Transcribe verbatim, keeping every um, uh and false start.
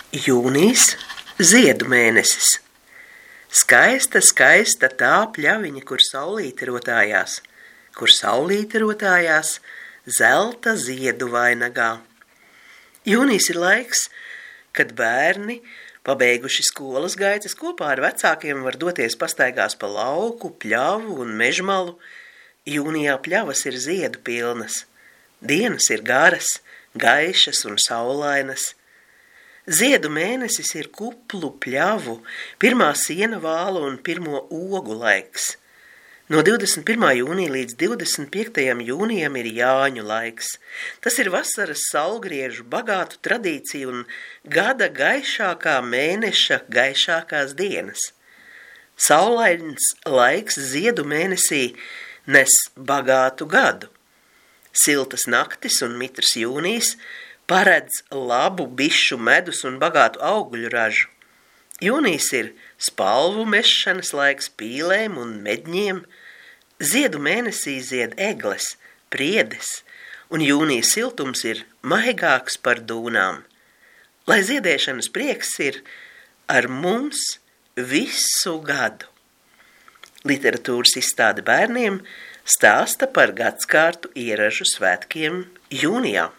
Jūnijs – ziedu mēnesis. Skaista, skaista tā pļaviņa, kur saulīte rotājās, kur saulīte rotājās zelta ziedu vainagā. Jūnijs ir laiks, kad bērni, pabeiguši skolas gaitas, kopā ar vecākiem var doties pastaigās pa lauku, pļavu un mežmalu. Jūnijā pļavas ir ziedu pilnas. Dienas ir garas, gaišas un saulainas. Ziedu mēnesis ir kuplu, pļavu, pirmā siena vālu un pirmo ogu laiks. No divdesmit pirmā jūnija līdz divdesmit piektajam jūnijam ir Jāņu laiks. Tas ir vasaras saulgriežu bagātu tradīciju un gada gaišākā mēneša gaišākās dienas. Saulains laiks ziedu mēnesī nes bagātu gadu. Siltas naktis un mitrs jūnijs paredz labu bišu medus un bagātu augļu ražu. Jūnijs ir spalvu mešanas laiks pīlēm un medņiem. Ziedu mēnesī zied egles, priedes, un jūnija siltums ir maigāks par dūnām. Lai ziedēšanas prieks ir ar mums visu gadu. Literatūras izstāde bērniem stāsta par gadskārtu ieražu svētkiem jūnijā.